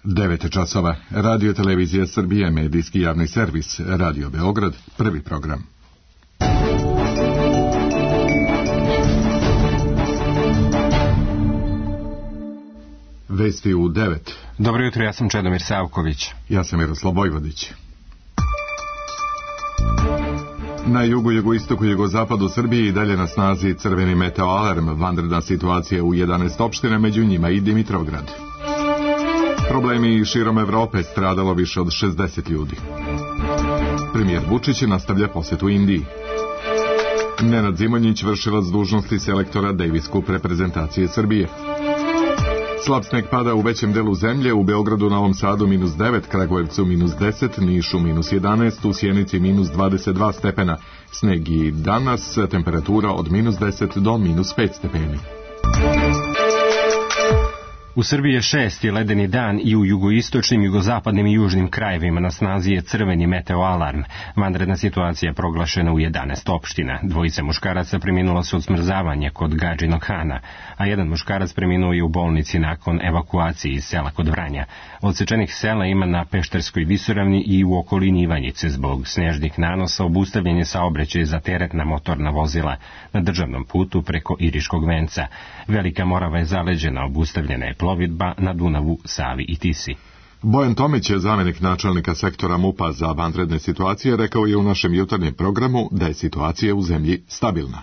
9 časova. Radio Televizija Srbije, medijski javni servis, Radio Beograd, prvi program. Vesti u 9. Dobro jutro, ja sam Čedomir Savković. Ja sam Miroslav Vojvodić. Na jugu, jugoistoku i jugozapadu Srbije i dalje na snazi crveni meteoalarm, vanredna situacija u 11 opština, među njima i Dimitrovgrad. Problemi širom Evrope, stradalo više od 60 ljudi. Premijer Vučić nastavlja posetu Indiji. Nenad Zimonjić, vršilac dužnosti selektora Davis Cup reprezentacije Srbije. Slab sneg pada u većem delu zemlje, u Beogradu, Novom Sadu -9, Kragujevcu -10, Nišu -11, u Sjenici -22 stepena. Sneg i danas, temperatura od -10 do -5 stepeni. U Srbiji je 6. ledeni dan i u jugoistočnim, jugozapadnim i južnim krajevima na snazi je crveni meteoalarm. Vanredna situacija je proglašena u 11 opština. 2 muškaraca preminula su od smrzavanja kod Gadžinog Hana, a 1 muškarac preminuo je u bolnici nakon evakuacije iz sela kod Vranja. Odsečenih sela ima na Pešterskoj visoravni i u okolini Ivanjice. Zbog snežnih nanosa obustavljen je saobraćaj za teretna motorna vozila na državnom putu preko Iriškog venca. Velika Morava je zaleđena, obustavljena je plovidba na Dunavu, Savi i Tisi. Bojan Tomić, zamenik načelnika sektora MUP-a za vanredne situacije, rekao je u našem jutarnjem programu da je situacija u zemlji stabilna.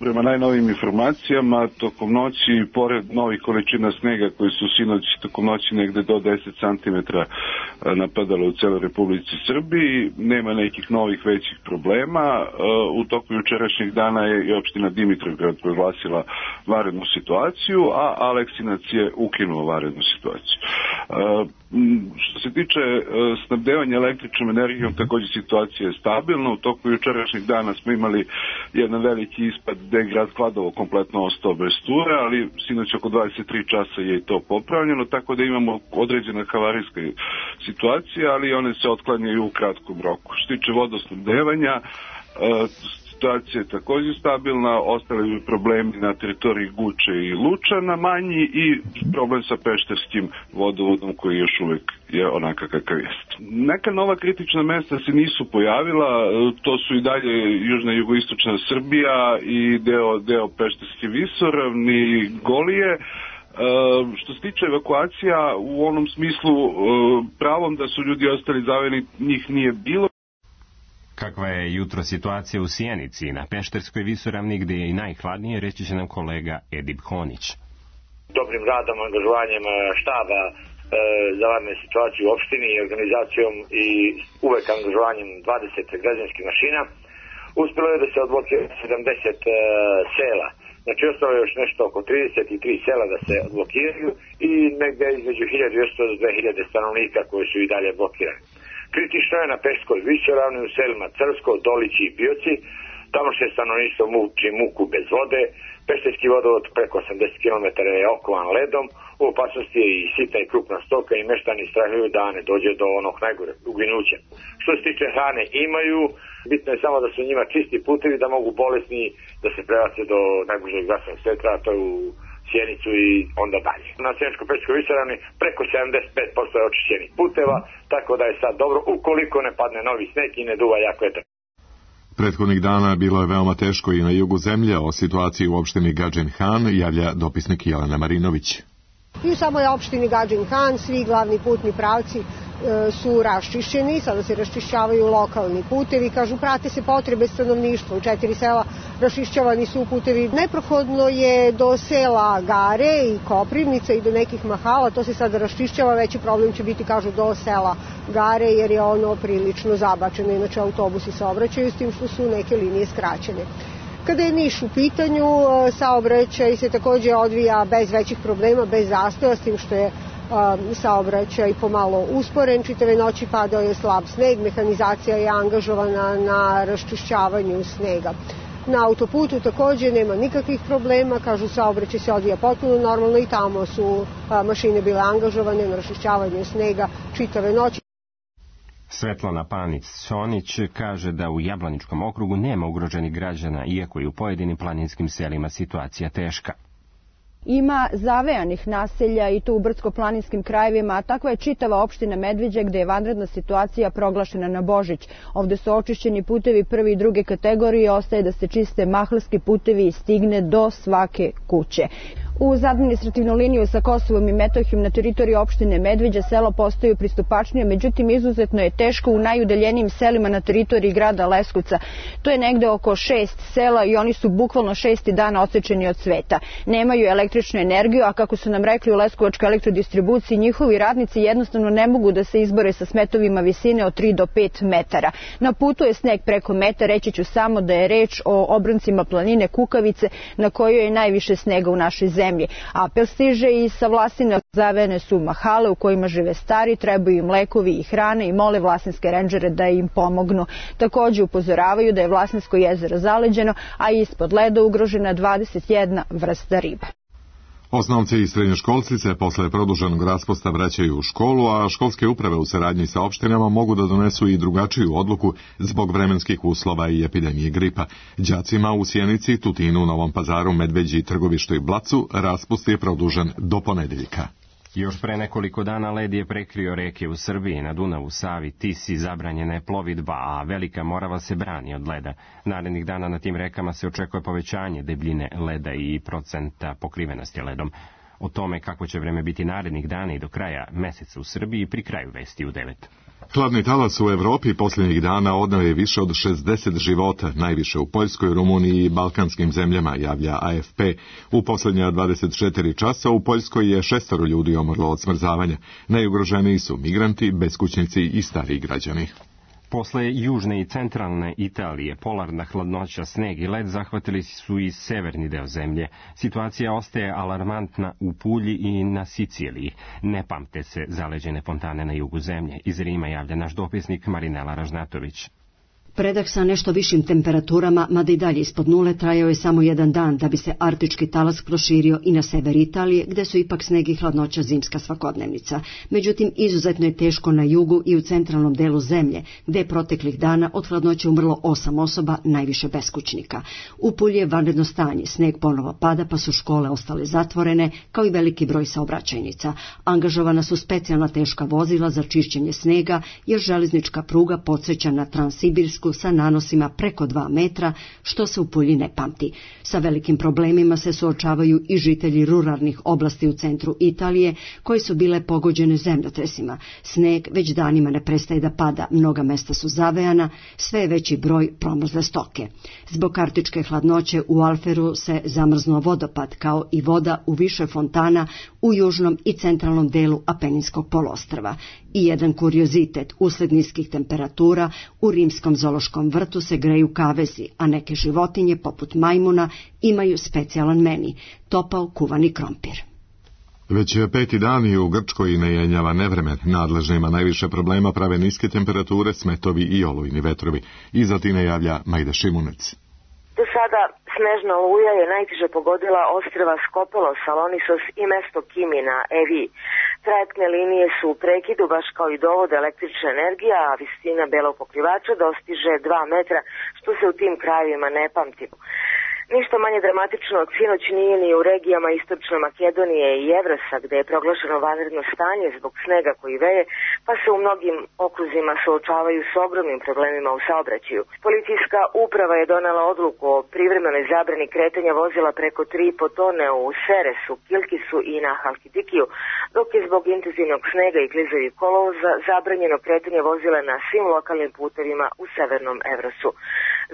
Prema najnovim informacijama, tokom noći, pored novih količina snega koji su sinoć tokom noći negde do 10 cm napadalo u celoj Republici Srbiji, nema nekih novih većih problema. U toku jučerašnjeg dana je i opština Dimitrovgrad proglasila vanrednu situaciju, a Aleksinac je ukinuo vanrednu situaciju. Što se tiče snabdevanja električnom energijom, takođe situacija je stabilna. U toku jučerašnjeg dana smo imali jedan veliki ispad gde je grad Kladovo kompletno ostao bez struje, ali sinoć oko 23 časa je i to popravljeno, tako da imamo određena havarijska situacija, ali one se otklanjaju u kratkom roku. Što se tiče vodosnabdevanja, situacija je također stabilna, ostali problemi na teritoriji Guče i Lučana manji i problem sa pešterskim vodovodom koji još uvek je onaka kakav jest. Neka nova kritična mesta se nisu pojavila, to su i dalje južna i jugoistočna Srbija i deo Pešterske visoravni, Golije. Što se tiče evakuacija, u onom smislu pravom da su ljudi ostali zaveni, njih nije bilo. Kakva je jutro situacija u Sjenici i na Pešterskoj visoravni, gdje je i najhladnije, reći će nam kolega Edip Honić. Dobrim radom, angažovanjem štaba za vanredne situacije u opštini i organizacijom i uvek angažovanjem 20 građanskih mašina, uspjelo je da se odblokira 70 sela. Znači, ostalo je još nešto oko 33 sela da se odblokiraju i negdje između 1200 do 2000 stanovnika koji su i dalje blokirani. Kritično je na Pešterskoj visoravni u selima Crsko, Dolići i Bioci. Tamo se stanovništvo muči muku bez vode. Pešterski vodovod preko 80 km je okovan ledom. U opasnosti je i sita i krupna stoka i meštani strahuju da ne dođe do onog najgore uginuća. Što se tiče hrane, imaju. Bitno je samo da su njima čisti putevi, da mogu bolesni da se prebace do najbližeg zdravstvenog centra, to je u Sjenicu i onda dalje. Na Sjeničko-Pešterskoj visoravni preko 75% je očišćenih puteva, tako da je sad dobro ukoliko ne padne novi sneg i ne duva jako vetar. Prethodnih dana bilo je veoma teško i na jugu zemlje. O situaciji u opštini Gadžin Han javlja dopisnik Jelena Marinović. I u samoj opštini Gadžin Han svi glavni putni pravci su raščišćeni, sada se raščišćavaju lokalni putevi, kažu prate se potrebe stanovništva, u 4 sela raščišćavani su putevi. Neprohodno je do sela Gare i Koprivnica i do nekih mahala, to se sada raščišćava, veći problem će biti, kažu, do sela Gare jer je ono prilično zabačeno, inače autobusi saobraćaju s tim što su neke linije skraćene. Kada je Niš u pitanju, saobraćaj se također odvija bez većih problema, bez zastoja, s tim što je saobraćaj pomalo usporen, čitave noći padao je slab sneg, mehanizacija je angažovana na raščišćavanju snega. Na autoputu također nema nikakvih problema, kažu saobraćaj se odvija potpuno normalno i tamo su mašine bile angažovane na raščišćavanju snega čitave noći. Svetlana Panić-Sonić kaže da u Jablaničkom okrugu nema ugroženih građana, iako je u pojedinim planinskim selima situacija teška. Ima zavejanih naselja i to u brdsko-planinskim krajevima, a takva je čitava opština Medveđa gde je vanredna situacija proglašena na Božić. Ovde su očišćeni putevi prve i druge kategorije, ostaje da se čiste mahlarski putevi i stigne do svake kuće. Uz administrativnu liniju sa Kosovom i Metohijom na teritoriji opštine Medveđa selo postaju pristupačnije, međutim izuzetno je teško u najudaljenijim selima na teritoriji grada Leskovca. To je negde oko 6 sela i oni su bukvalno 6. dana odsečeni od sveta. Nemaju električnu energiju, a kako su nam rekli u Leskovačkoj elektrodistribuciji, njihovi radnici jednostavno ne mogu da se izbore sa smetovima visine od 3 do 5 metara. Na putu je sneg preko metra, reći ću samo da je reč o obroncima planine Kukavice na kojoj je najviše snega u našoj zemlji. Apel stiže i sa Vlasine, zavejane su mahale u kojima žive stari, trebaju im lekovi i hrane i mole vlasinske rendžere da im pomognu. Takođe upozoravaju da je Vlasinsko jezero zaleđeno, a ispod leda ugrožena 21 vrsta riba. Osnovci i srednjoškolci se posle produženog raspusta vraćaju u školu, a školske uprave u saradnji sa opštinama mogu da donesu i drugačiju odluku zbog vremenskih uslova i epidemije gripa. Đacima u Sjenici, Tutinu, Novom Pazaru, Medveđi, Trgovištu i Blacu raspust je produžen do ponedeljka. Još pre nekoliko dana led je prekrio reke u Srbiji, na Dunavu, Savi, Tisi, zabranjena je plovidba, a Velika Morava se brani od leda. Narednih dana na tim rekama se očekuje povećanje debljine leda i procenta pokrivenosti ledom. O tome kako će vreme biti narednih dana i do kraja meseca u Srbiji pri kraju vesti u 9. Hladni talas u Evropi posljednjih dana odneo je više od 60 života, najviše u Poljskoj, Rumuniji i balkanskim zemljama, javlja AFP. U posljednja 24 časa u Poljskoj je 6 ljudi umrlo od smrzavanja. Najugroženiji su migranti, beskućnici i stariji građani. Posle južne i centralne Italije, polarna hladnoća, sneg i led zahvatili su i severni deo zemlje. Situacija ostaje alarmantna u Pulji i na Siciliji. Ne pamte se zaleđene fontane na jugu zemlje. Iz Rima javlja naš dopisnik Marinela Ražnatović. Predah sa nešto višim temperaturama, mada i dalje ispod nule, trajao je samo jedan dan da bi se arktički talas proširio i na sever Italije, gde su ipak sneg i hladnoća zimska svakodnevnica. Međutim, izuzetno je teško na jugu i u centralnom delu zemlje, gde je proteklih dana od hladnoće umrlo 8 osoba, najviše beskućnika. U Pulji je vanredno stanje, sneg ponovo pada, pa su škole ostale zatvorene, kao i veliki broj saobraćajnica. Angažovana su specijalna teška vozila za čišćenje snega, jer železnička pruga podsjeća na Transsibirsku sa nanosima preko 2 metra, što se u Pulji ne pamti. Sa velikim problemima se suočavaju i žitelji ruralnih oblasti u centru Italije, koje su bile pogođene zemljotresima. Sneg već danima ne prestaje da pada, mnoga mesta su zavejana, sve je veći broj promrzle stoke. Zbog arktičke hladnoće u Alferu se zamrznuo vodopad, kao i voda u više fontana u južnom i centralnom delu Apeninskog poluostrva. I jedan kuriozitet, usled niskih temperatura, u rimskom zoološkom vrtu se greju kavezi, a neke životinje, poput majmuna, imaju specijalan meni, topao kuvani krompir. Već 5. dan i u Grčkoj ne jenjava nevremen. Nadležnima najviše problema prave niske temperature, smetovi i olujni vetrovi. Iz Atine javlja Majda Šimunec. Do sada snežna oluja je najteže pogodila ostrva Skopelos, Salonisos i mesto Kimi na Evi. Trajektne linije su u prekidu, baš kao i dovod električne energije, a visina belog pokrivača dostiže 2 metra, što se u tim krajevima ne pamti. Ništa manje dramatično od sinoć nije ni u regijama Istočne Makedonije i Evrasa, gde je proglašeno vanredno stanje zbog snega koji veje, pa se u mnogim okruzima suočavaju s ogromnim problemima u saobraćaju. Policijska uprava je donela odluku o privremenoj zabrani kretanja vozila preko 3,5 tone u Seresu, Kilkisu i na Halkidikiju, dok je zbog intenzivnog snega i klizavih kolovoza zabranjeno kretanje vozila na svim lokalnim putevima u severnom Evrosu.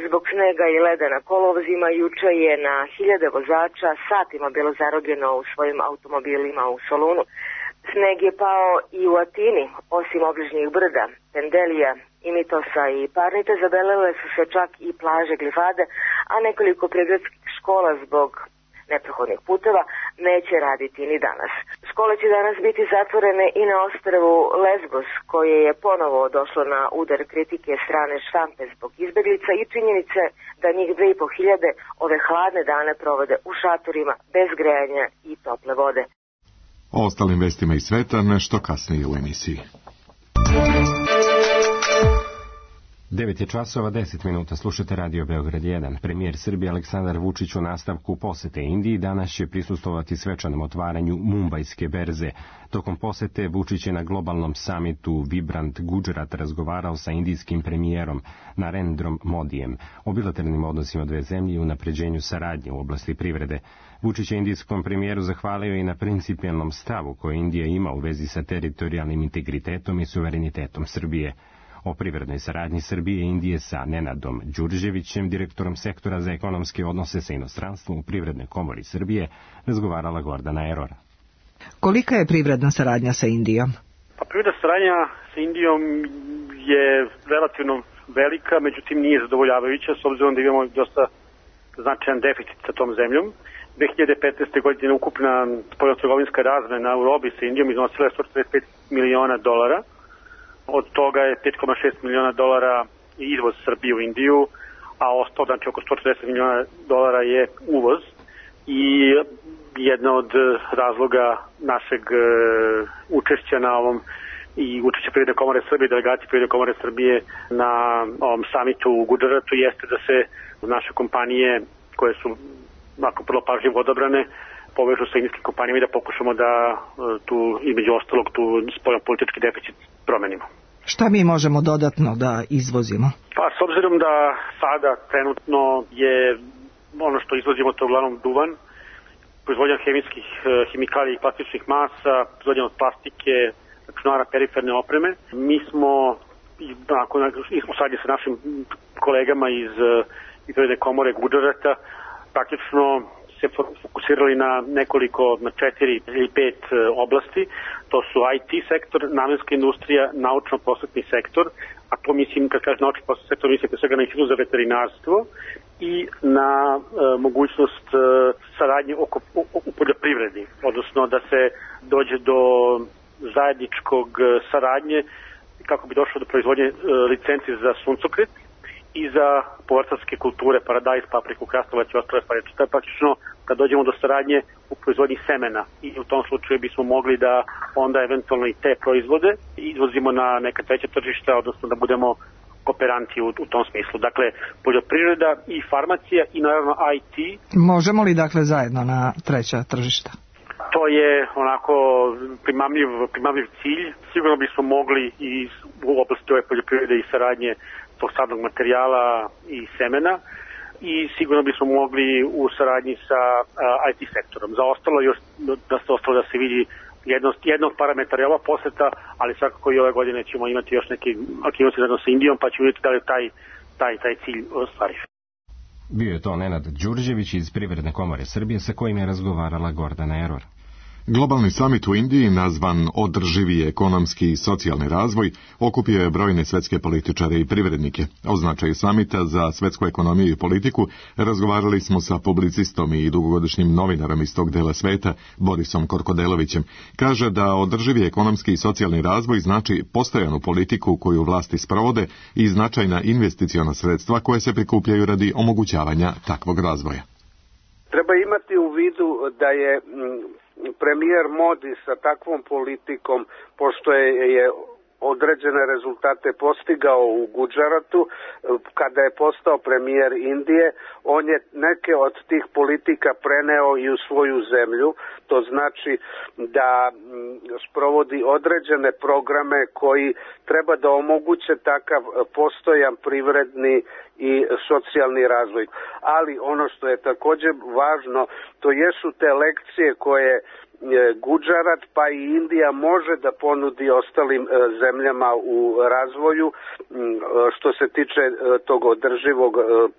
Zbog snega i leda na kolovozima juče je na hiljade vozača satima bilo zarobljeno u svojim automobilima u Solunu. Sneg je pao i u Atini, osim obližnjih brda, Pendelija, Imitosa i Parnite, zabelele su se čak i plaže Glifade, a nekoliko prigradskih škola zbog neprohodnih puteva neće raditi ni danas. Škole će danas biti zatvorene i na ostrvu Lesbos, koje je ponovo došlo na udar kritike strane štampe zbog izbeglica i činjenice da njih 2.500 ove hladne dane provode u šatorima bez grejanja i tople vode. O ostalim vestima iz sveta nešto kasnije u emisiji. 9 je časova 10 minuta, slušate Radio Beograd 1. Premijer Srbije Aleksandar Vučić u nastavku posete Indiji danas će prisustvovati svečanom otvaranju Mumbajske berze. Tokom posete Vučić je na globalnom samitu Vibrant Gujarat razgovarao sa indijskim premijerom Narendrom Modijem o bilateralnim odnosima dve zemlje i unapređenju saradnje u oblasti privrede. Vučić je indijskom premijeru zahvalio i na principijelnom stavu koje Indija ima u vezi sa teritorijalnim integritetom i suverenitetom Srbije. O privrednoj saradnji Srbije i Indije sa Nenadom Đurđevićem, direktorom sektora za ekonomske odnose sa inostranstvom u Privrednoj komori Srbije, razgovarala Gordana Erora. Kolika je privredna saradnja sa Indijom? Pa privredna saradnja sa Indijom je relativno velika, međutim nije zadovoljavajuća s obzirom da imamo dosta značajan deficit sa tom zemljom. 2015. godine ukupna spoljnotrgovinska razmena u robi sa Indijom iznosila je $145 miliona. Od toga je $5,6 miliona izvoz Srbije u Indiju, a ostalo, znači oko $140 miliona je uvoz. I jedna od razloga našeg učešća na ovom i učešća Privredne komore Srbije, delegacije Privredne komore Srbije na ovom samitu u Gujaratu jeste da se naše kompanije koje su nakon prvo pažljivo odabrane povežu sa indijskim kompanijama i da pokušamo da tu, između ostalog, tu spoljnopolitički deficit promenimo. Šta mi možemo dodatno da izvozimo? Pa s obzirom da sada trenutno je ono što izvozimo to uglavnom duvan, proizvodnja hemikalija i plastičnih masa, proizvodnja od plastike, računara, periferne opreme. Mi smo u sadnji sa našim kolegama iz Privredne komore Gujarata praktično se fokusirali na nekoliko, na 4 ili 5 oblasti. To su IT sektor, namenska industrija, naučno-prosvetni sektor, a to mislim, kad kažem naučno-prosvetni sektor, mislim pre svega na institut za veterinarstvo i na mogućnost saradnje u poljoprivredi, odnosno da se dođe do zajedničkog saradnje kako bi došlo do proizvodnje licenci za suncokret i za povrtarske kulture, paradajz, papriku, krastavac i ostale stvari. To je praktično kad dođemo do saradnje u proizvodnji semena i u tom slučaju bismo mogli da onda eventualno i te proizvode izvozimo na neka treća tržišta, odnosno da budemo kooperanti u tom smislu. Dakle, poljoprivreda i farmacija i naravno IT. Možemo li dakle zajedno na treća tržišta? To je onako primamljiv cilj. Sigurno bismo mogli i u oblasti ove poljoprivrede i saradnje tog sadnog materijala i semena i sigurno bismo mogli u saradnji sa IT sektorom. Za ostalo još da se vidi jednog parametra je ova poseta, ali svakako i ove godine ćemo imati još neke aktivnosti zajedno sa Indijom, pa ćemo vidjeti da li taj cilj ostvari. Bio je to Nenad Đurđević iz Privredne komore Srbije sa kojim je razgovarala Gordana Eror. Globalni samit u Indiji, nazvan Održivi ekonomski i socijalni razvoj, okupio je brojne svetske političare i privrednike. O značaju samita za svetsku ekonomiju i politiku razgovarali smo sa publicistom i dugogodišnjim novinarom iz tog dela sveta, Borisom Korkodelovićem. Kaže da održivi ekonomski i socijalni razvoj znači postojanu politiku koju vlasti sprovode i značajna investiciona sredstva koje se prikupljaju radi omogućavanja takvog razvoja. Treba imati u vidu da je premijer Modi sa takvom politikom, pošto je određene rezultate postigao u Gujaratu, kada je postao premijer Indije, on je neke od tih politika preneo i u svoju zemlju. To znači da sprovodi određene programe koji treba da omoguće takav postojan privredni i socijalni razvoj. Ali ono što je također važno, to jesu te lekcije koje Gujarat pa i Indija može da ponudi ostalim zemljama u razvoju što se tiče tog održivog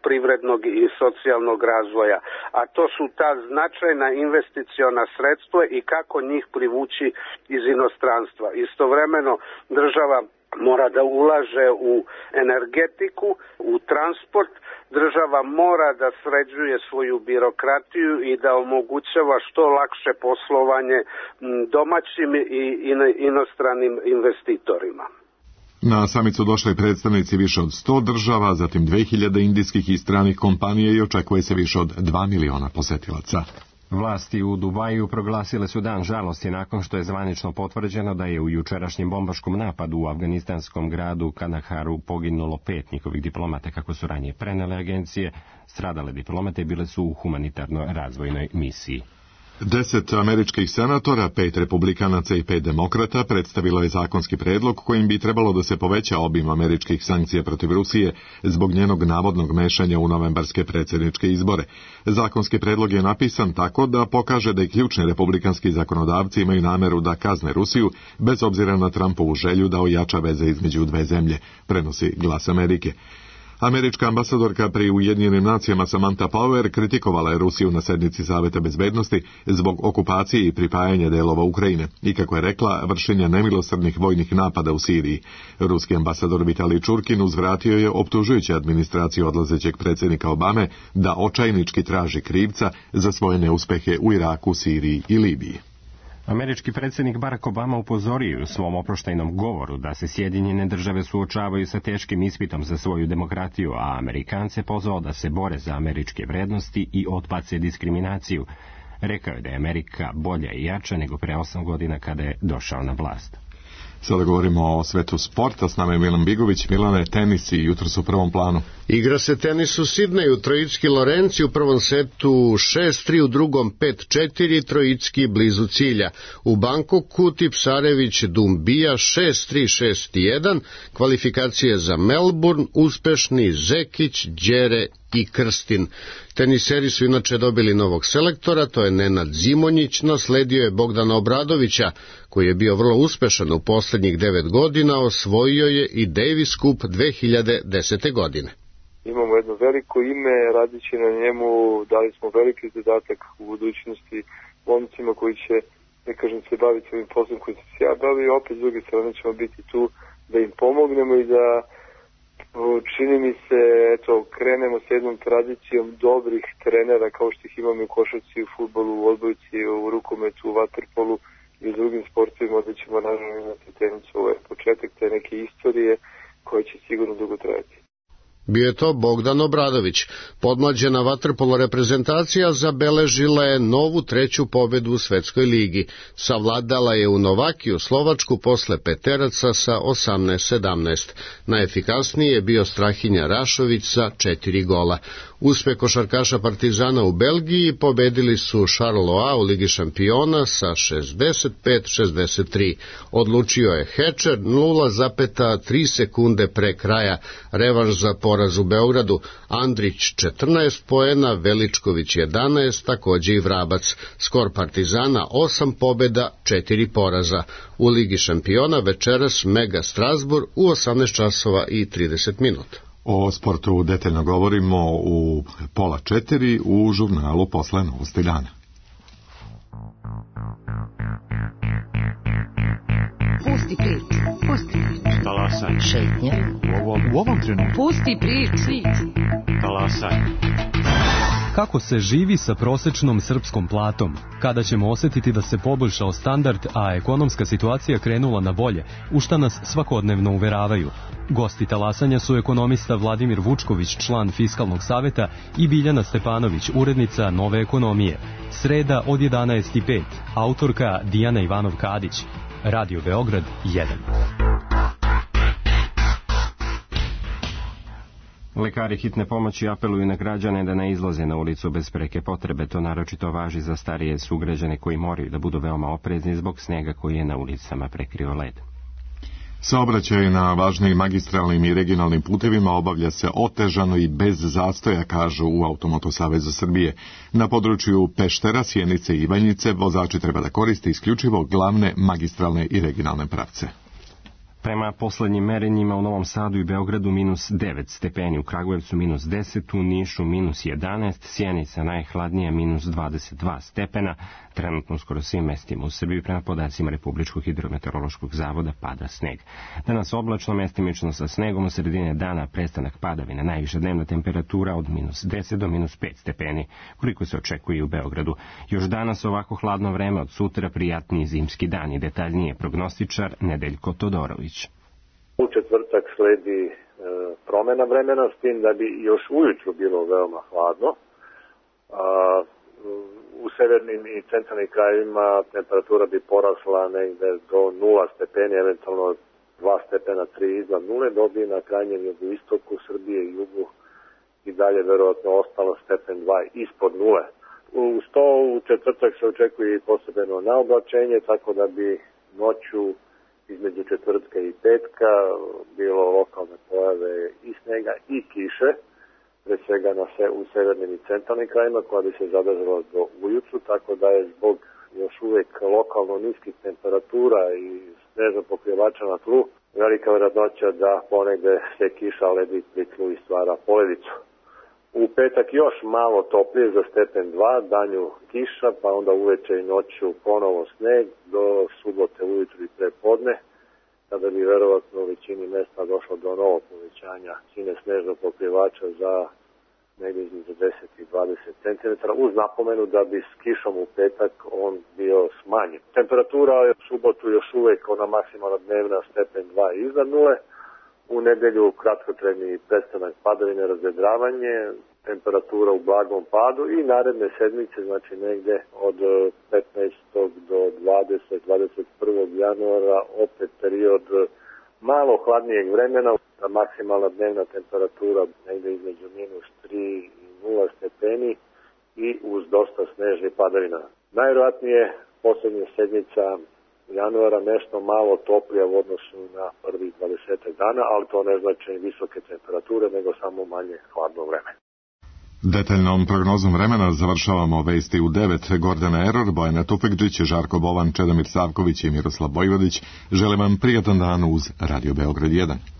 privrednog i socijalnog razvoja. A to su ta značajna investiciona sredstva i kako njih privući iz inostranstva. Istovremeno država mora da ulaže u energetiku, u transport, država mora da sređuje svoju birokratiju i da omogućava što lakše poslovanje domaćim i inostranim investitorima. Na samit su došli predstavnici više od 100 država, zatim 2000 indijskih i stranih kompanija i očekuje se više od 2 miliona posetilaca. Vlasti u Dubaju proglasile su dan žalosti nakon što je zvanično potvrđeno da je u jučerašnjem bombaškom napadu u afganistanskom gradu Kandaharu poginulo 5 njihovih diplomata, kako su ranije prenele agencije. Stradale diplomate bile su u humanitarnoj razvojnoj misiji. 10 američkih senatora, 5 republikanaca i 5 demokrata predstavilo je zakonski predlog kojim bi trebalo da se poveća obim američkih sankcija protiv Rusije zbog njenog navodnog mešanja u novembarske predsjedničke izbore. Zakonski predlog je napisan tako da pokaže da i ključni republikanski zakonodavci imaju nameru da kazne Rusiju bez obzira na Trumpovu želju da ojača veze između dve zemlje, prenosi Glas Amerike. Američka ambasadorka pri Ujedinjenim nacijama Samantha Power kritikovala je Rusiju na sednici Saveta bezbednosti zbog okupacije i pripajanja delova Ukrajine i, kako je rekla, vršenja nemilosrdnih vojnih napada u Siriji. Ruski ambasador Vitalij Čurkin uzvratio je optužujući administraciju odlazećeg predsjednika Obame da očajnički traži krivca za svoje neuspehe u Iraku, Siriji i Libiji. Američki predsjednik Barack Obama upozorio u svom oproštajnom govoru da se Sjedinjene države suočavaju sa teškim ispitom za svoju demokratiju, a Amerikance pozvao da se bore za američke vrednosti i odbace diskriminaciju. Rekao je da je Amerika bolja i jača nego pre 8 godina kada je došao na vlast. Sada govorimo o svetu sporta, s nama je Milan Bigović. Milane, tenis i jutros u prvom planu. Igra se tenis u Sidneju, Trojicki Lorenci u prvom setu 6-3, u drugom 5-4, Trojicki blizu cilja. U Bangkoku Tipsarević Dumbija 6-3, 6-1, kvalifikacije za Melbourne, uspešni Zekić, Đere i Krstin. Teniseri su inače dobili novog selektora, to je Nenad Zimonjić, nasledio je Bogdana Obradovića, koji je bio vrlo uspešan u posljednjih 9 godina, osvojio je i Davis Cup 2010. godine. Imamo jedno veliko ime, radići na njemu, dali smo veliki zadatak u budućnosti momcima koji će, ne kažem, se baviti ovim poslom koji se ja bavio, opet s druge strane ćemo biti tu da im pomognemo i da, čini mi se, eto, krenemo s jednom tradicijom dobrih trenera kao što ih imamo u košarci, u fudbalu, u odbojci, u rukometu, u vaterpolu i u drugim sportovima, da ćemo naravno imati tenisu. Ovo je početak te neke istorije koja će sigurno dugo trajati. Bio je to Bogdan Obradović. Podmlađena vaterpolo reprezentacija zabeležila je novu 3. pobedu u Svetskoj ligi. Savladala je u Novakiju Slovačku posle peteraca sa 18-17. Najefikasniji je bio Strahinja Rašović sa 4 gola. Uspeh košarkaša Partizana u Belgiji pobedili su Charleroi u Ligi šampiona sa 65-63. Odlučio je Hečer 0,3 sekunde pre kraja. Revanš za poraz u Beogradu. Andrić 14 poena, Veličković 11, takođe i Vrabac. Skor Partizana 8 pobeda, 4 poraza. U Ligi šampiona večeras Mega Strasbourg u 18 časova i 30 minuta. O sportu detaljno govorimo u 3:30 u žurnalu Posle novosti dana. Pusti priču, pusti priču. Talasaj. Šetnje. U ovom trenutku. Pusti priču. Talasaj. Kako se živi sa prosečnom srpskom platom? Kada ćemo osjetiti da se poboljšao standard, a ekonomska situacija krenula na bolje, u šta nas svakodnevno uveravaju? Gosti talasanja su ekonomista Vladimir Vučković, član Fiskalnog saveta, i Biljana Stepanović, urednica Nove ekonomije. Sreda od 11:05. Autorka Dijana Ivanov-Kadić. Radio Beograd 1. Lekari hitne pomoći apeluju na građane da ne izlaze na ulicu bez preke potrebe. To naročito važi za starije sugrađane koji moraju da budu veoma oprezni zbog snega koji je na ulicama prekrio led. Saobraćaj na važnim magistralnim i regionalnim putevima obavlja se otežano i bez zastoja, kažu u Automoto Savezu Srbije. Na području Peštera, Sjenice i Ivanjice vozači treba da koriste isključivo glavne magistralne i regionalne pravce. Prema poslednjim merenjima u Novom Sadu i Beogradu -9 stepeni, u Kragujevcu -10, u Nišu -11, Sjenica najhladnija -22 stepena, trenutno skoro svim mestima u Srbiji prema podacima Republičkog hidrometeorološkog zavoda pada sneg. Danas oblačno, mestimično sa snegom, u sredine dana prestanak padavina, najviša dnevna temperatura od -10 do -5 stepeni, koliko se očekuje u Beogradu. Još danas ovako hladno vreme, od sutra prijatniji zimski dan i detaljnije prognostičar Nedeljko Todorović. U četvrtak sledi promena vremena, s tim da bi još ujutru bilo veoma hladno. u severnim i centralnim krajevima temperatura bi porasla negde do 0 stepeni, eventualno 2 stepena, 3 iznad nule, dobi na krajnjem jugoistoku Srbije i jugu i dalje verovatno ostalo stepen 2 ispod nule. Uz to u četvrtak se očekuje i posebeno naoblačenje, tako da bi noću između četvrtka i petka bilo lokalne pojave i snega i kiše, pre svega u severnim i centralnim krajima, koja bi se zadržala do ujutru, tako da je zbog još uvek lokalno niskih temperatura i snežnog pokrivača na tlu velika verovatnoća da ponegde se kiša ledi pri tlu i stvara poledicu. U petak još malo toplije za stepen 2, danju kiša, pa onda uveče i noću ponovo sneg do subote ujutru i prepodne, kada bi verovatno u većini mesta došlo do novog povećanja visine snežnog pokrivača za negdje između 10 i 20 cm, uz napomenu da bi s kišom u petak on bio smanjen. Temperatura je u subotu još uvek ona maksimalna dnevna stepen 2 iznad nule, u nedelju kratkotrajni prestanak padavine, razvedravanje, temperatura u blagom padu i naredne sedmice, znači negde od 15. do 21. januara opet period malo hladnijeg vremena, maksimalna dnevna temperatura negde između -3 i 0 stepeni i uz dosta snežnih padavina. Najvjerojatnije poslednja sedmica januara nešto malo toplija u odnosu na prvih 20 dana, ali to ne znači visoke temperature, nego samo manje hladno vreme. Detaljnom prognozom vremena završavamo vesti u 9. Gordana Eror, Bojana Tufekđić, Žarko Bovan, Čedomir Savković i Miroslav Bojvodić. Želim vam prijatan dan uz Radio Beograd 1.